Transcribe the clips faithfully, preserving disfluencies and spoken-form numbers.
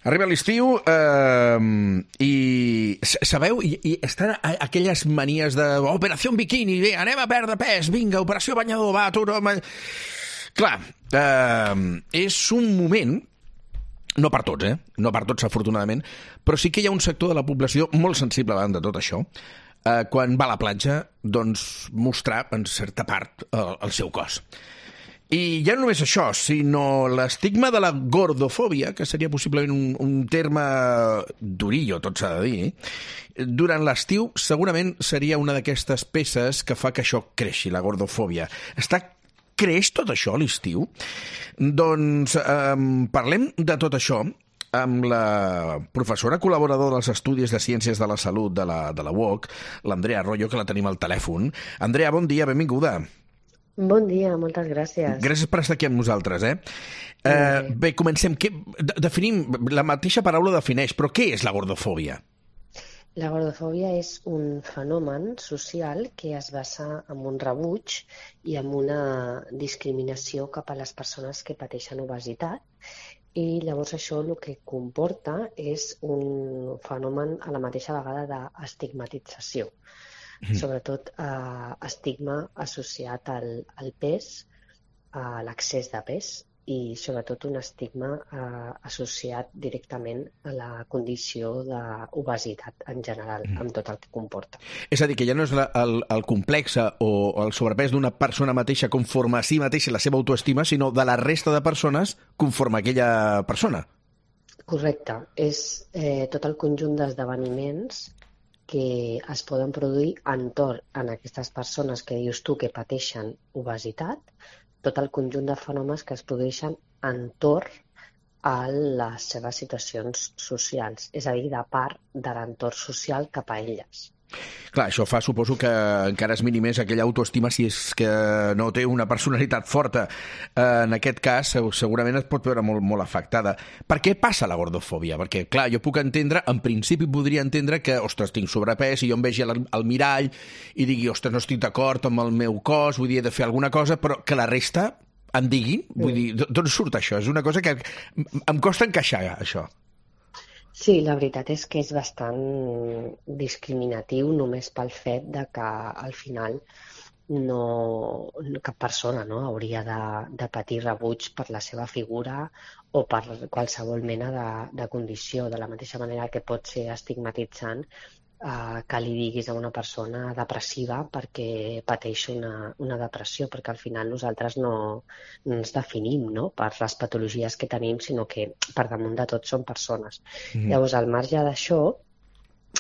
Arriba l'estiu eh, i sabeu, i, i estan aquelles manies de operació biquini, bé, anem a perdre pes, vinga, operació banyador, va, tu no... Clar, eh, és un moment, no per tots, eh? No per tots, afortunadament, però sí que hi ha un sector de la població molt sensible davant de tot això, eh, quan va a la platja, doncs mostrar, en certa part, el, el seu cos. I ja no només això, sinó l'estigma de la gordofòbia, que seria possiblement un, un terme durillo, tot s'ha de dir, durant l'estiu segurament seria una d'aquestes peces que fa que això creixi, la gordofòbia. Està creix tot això a l'estiu? Doncs eh, parlem de tot això amb la professora col·laboradora dels Estudis de Ciències de la Salut de la, de la U O C, l'Andrea Arroyo, que la tenim al telèfon. Andrea, bon dia, benvinguda. Bon dia, moltes gràcies. Gràcies per estar aquí amb nosaltres, eh? eh bé, comencem. Què, definim, la mateixa paraula defineix, però què és la gordofòbia? La gordofòbia és un fenomen social que es basa en un rebuig i en una discriminació cap a les persones que pateixen obesitat, i llavors això el que comporta és un fenomen a la mateixa vegada d'estigmatització. Sobretot eh, estigma associat al, al pes, a l'excés de pes, i sobretot un estigma eh, associat directament a la condició d'obesitat en general, amb tot el que comporta. És a dir, que ja no és la, el, el complex o el sobrepès d'una persona mateixa conforme a si mateixa la seva autoestima, sinó de la resta de persones conforme a aquella persona. Correcte. És eh, tot el conjunt d'esdeveniments que es poden produir entorn en aquestes persones que dius tu que pateixen obesitat, tot el conjunt de fenòmens que es produeixen entorn a les seves situacions socials, és a dir, de part de l'entorn social cap a elles. Clar, això fa, suposo, que encara es minimés aquella autoestima si és que no té una personalitat forta. En aquest cas, segurament es pot veure molt, molt afectada. Per què passa la gordofòbia? Perquè, clar, jo puc entendre, en principi podria entendre que, ostres, tinc sobrepès i jo em vegi al, al mirall i digui, ostres, no estic d'acord amb el meu cos, vull dir, he de fer alguna cosa, però que la resta em diguin, vull dir, d'on surt això? És una cosa que em costa encaixar, això. Sí, la veritat és que és bastant discriminatiu només pel fet de que al final no, cap persona no, hauria de, de patir rebuig per la seva figura o per qualsevol mena de, de condició, de la mateixa manera que pot ser estigmatitzant eh, que li diguis a una persona depressiva perquè pateix una, una depressió, perquè al final nosaltres no, no ens definim no, per les patologies que tenim, sinó que per damunt de tot són persones. Mm. Llavors, al marge d'això,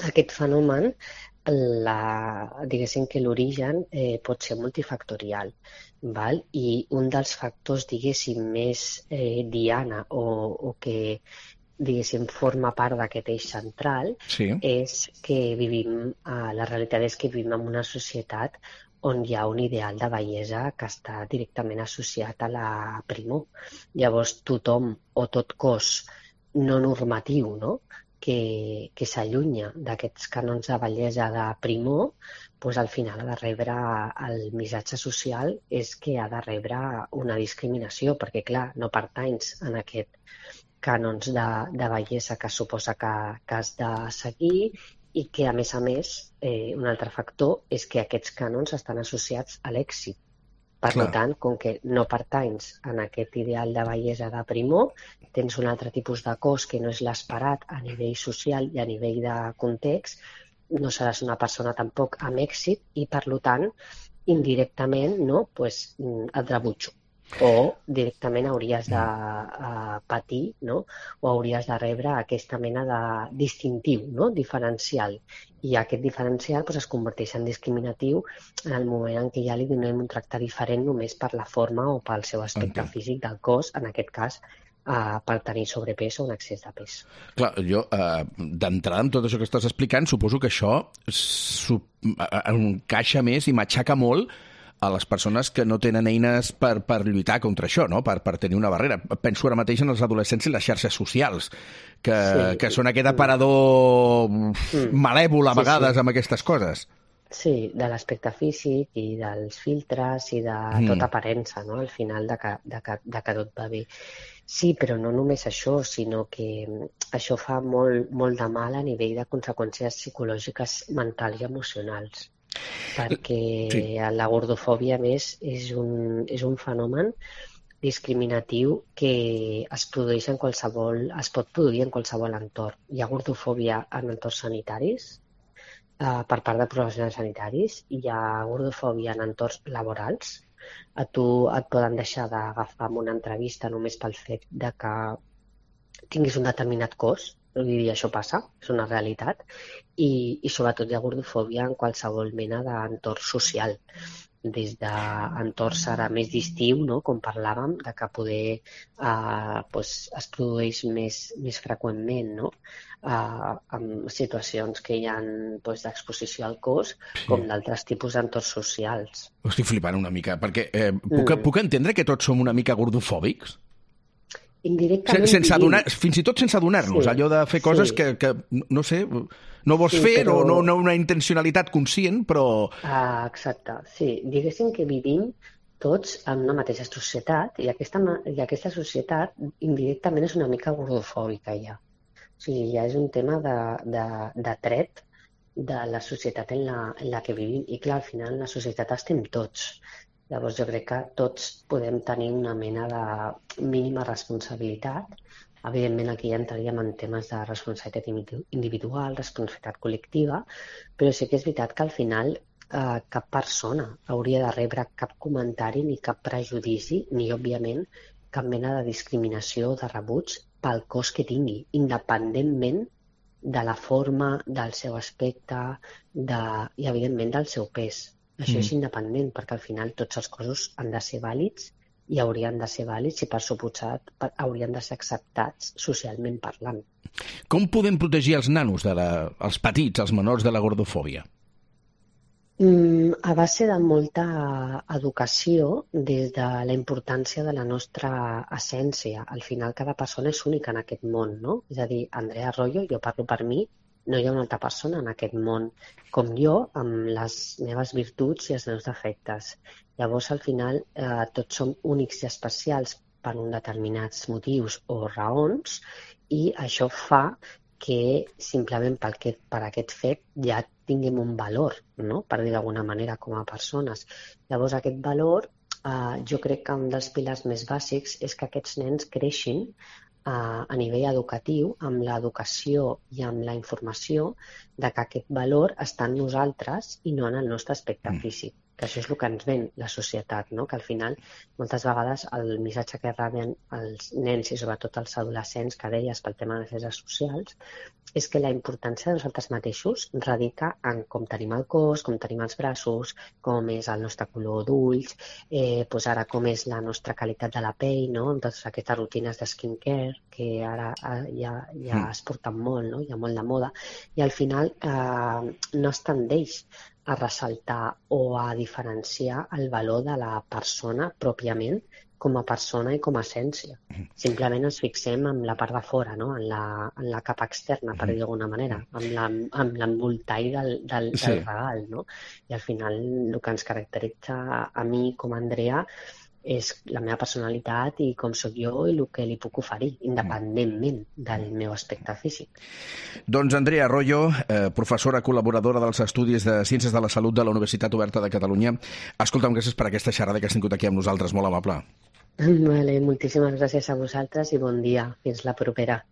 aquest fenomen, la, diguéssim que l'origen eh, pot ser multifactorial, val? I un dels factors, diguéssim, més eh, diana o, o que diguéssim, forma part d'aquest eix central, sí. És que vivim, eh, la realitat és que vivim en una societat on hi ha un ideal de bellesa que està directament associat a la primor. Llavors, tothom o tot cos no normatiu, no?, que, que s'allunya d'aquests cànons de bellesa de primor, doncs al final ha de rebre el missatge social és que ha de rebre una discriminació, perquè, clar, no pertanys en aquest cànons de, de bellesa que suposa que, que has de seguir i que, a més a més, eh, un altre factor és que aquests cànons estan associats a l'èxit. Per Clar. Tant, com que no pertanys en aquest ideal de bellesa de primor, tens un altre tipus de cos que no és l'esperat a nivell social i a nivell de context, no seràs una persona tampoc amb èxit i, per tant, indirectament no, pues, et rebutjo. O directament hauries de uh, patir, no? O hauries de rebre aquesta mena de distintiu, no? Diferencial. I aquest diferencial pues, es converteix en discriminatiu en el moment en què ja li donem un tracte diferent només per la forma o pel seu aspecte okay. físic del cos, en aquest cas uh, per tenir sobrepès o un excés de pes. Clar, jo uh, d'entrada amb tot això que estàs explicant suposo que això encaixa més i matxaca molt a les persones que no tenen eines per, per lluitar contra això, no? per, per tenir una barrera. Penso ara mateix en els adolescents i les xarxes socials, que, sí. que són aquest aparador mm. malèvol a vegades sí, sí. amb aquestes coses. Sí, de l'aspecte físic i dels filtres i de Mm. tota aparença, no? Al final de que, de que, de que tot va bé. Sí, però no només això, sinó que això fa molt, molt de mal a nivell de conseqüències psicològiques mentals i emocionals. Perquè Sí. la gordofòbia, a més, és un, és un fenomen discriminatiu que es produeix en qualsevol, es pot produir en qualsevol entorn. Hi ha gordofòbia en entorns sanitaris, eh, per part de professionals sanitaris, hi ha gordofòbia en entorns laborals. A tu et poden deixar d'agafar en una entrevista només pel fet de que tinguis un determinat cos, vull dir, això passa, és una realitat, i, i sobretot hi ha gordofòbia en qualsevol mena d'entorn social, des d'entorns ara més d'estiu, no? Com parlàvem, de que poder eh, doncs es produeix més, més freqüentment, no? Eh, en situacions que hi ha doncs, d'exposició al cos, Sí. com d'altres tipus d'entorns socials. Ho estic flipant una mica, perquè eh, puc, Mm. puc entendre que tots som una mica gordofòbics? Indirectament Sense vivim. adonar, fins i tot sense adonar-nos, Sí, allò de fer coses sí. que, que, no sé, no vols Sí, fer, però- o no, no una intencionalitat conscient, però... Ah, exacte, sí. Diguéssim que vivim tots en una mateixa societat i aquesta, ma- i aquesta societat indirectament és una mica gordofòbica ja. O sigui, ja és un tema de, de, de tret de la societat en la, en la que vivim. I clar, al final en la societat estem tots. Llavors jo crec que tots podem tenir una mena de mínima responsabilitat. Evidentment aquí ja entraríem en temes de responsabilitat individu- individual, responsabilitat col·lectiva, però sí que és veritat que al final eh, cap persona hauria de rebre cap comentari ni cap prejudici, ni òbviament cap mena de discriminació o de rebuig pel cos que tingui, independentment de la forma, del seu aspecte de, i evidentment del seu pes. Això Mm. és independent, perquè al final tots els cossos han de ser vàlids i haurien de ser vàlids i per suposat per- haurien de ser acceptats socialment parlant. Com podem protegir els nanos, de la, els petits, els menors, de la gordofòbia? Mm, a base de molta educació des de la importància de la nostra essència. Al final cada persona és única en aquest món, no? És a dir, Andrea Arroyo, jo parlo per mi, no hi ha una altra persona en aquest món com jo, amb les meves virtuts i els meus defectes. Llavors, al final, eh, tots som únics i especials per uns determinats motius o raons, i això fa que simplement per aquest, per aquest fet ja tinguem un valor, no? Per dir d'alguna manera, com a persones. Llavors, aquest valor, eh, jo crec que un dels pilars més bàsics és que aquests nens creixin eh, a nivell educatiu, amb l'educació i amb la informació de que aquest valor està en nosaltres i no en el nostre aspecte Mm. físic. Que això és el que ens ven la societat, no? Que al final, moltes vegades, el missatge que reben els nens i sobretot els adolescents, que deies pel tema de les xarxes socials, és que la importància de nosaltres mateixos radica en com tenim el cos, com tenim els braços, com és el nostre color d'ulls, eh, doncs ara com és la nostra qualitat de la pell, no? Amb totes aquestes rutines de skincare que ara eh, ja, ja Mm. es porten molt, no? Hi ha molt de moda, i al final eh, no es tendeix a ressaltar o a diferenciar el valor de la persona pròpiament com a persona i com a essència. Simplement ens fixem en la part de fora, no? en, la, en la capa externa, per dir d'alguna manera, amb la- amb l'embolcall del, del, Sí. del regal. No? I al final el que ens caracteritza a mi com a Andrea és la meva personalitat i com sóc jo i el que li puc oferir, independentment del meu aspecte físic. Doncs Andrea Arroyo, eh, professora col·laboradora dels Estudis de Ciències de la Salut de la Universitat Oberta de Catalunya. Escolta'm, gràcies per aquesta xerrada que has tingut aquí amb nosaltres, molt amable. Vale, moltíssimes gràcies a vosaltres i bon dia. Fins la propera.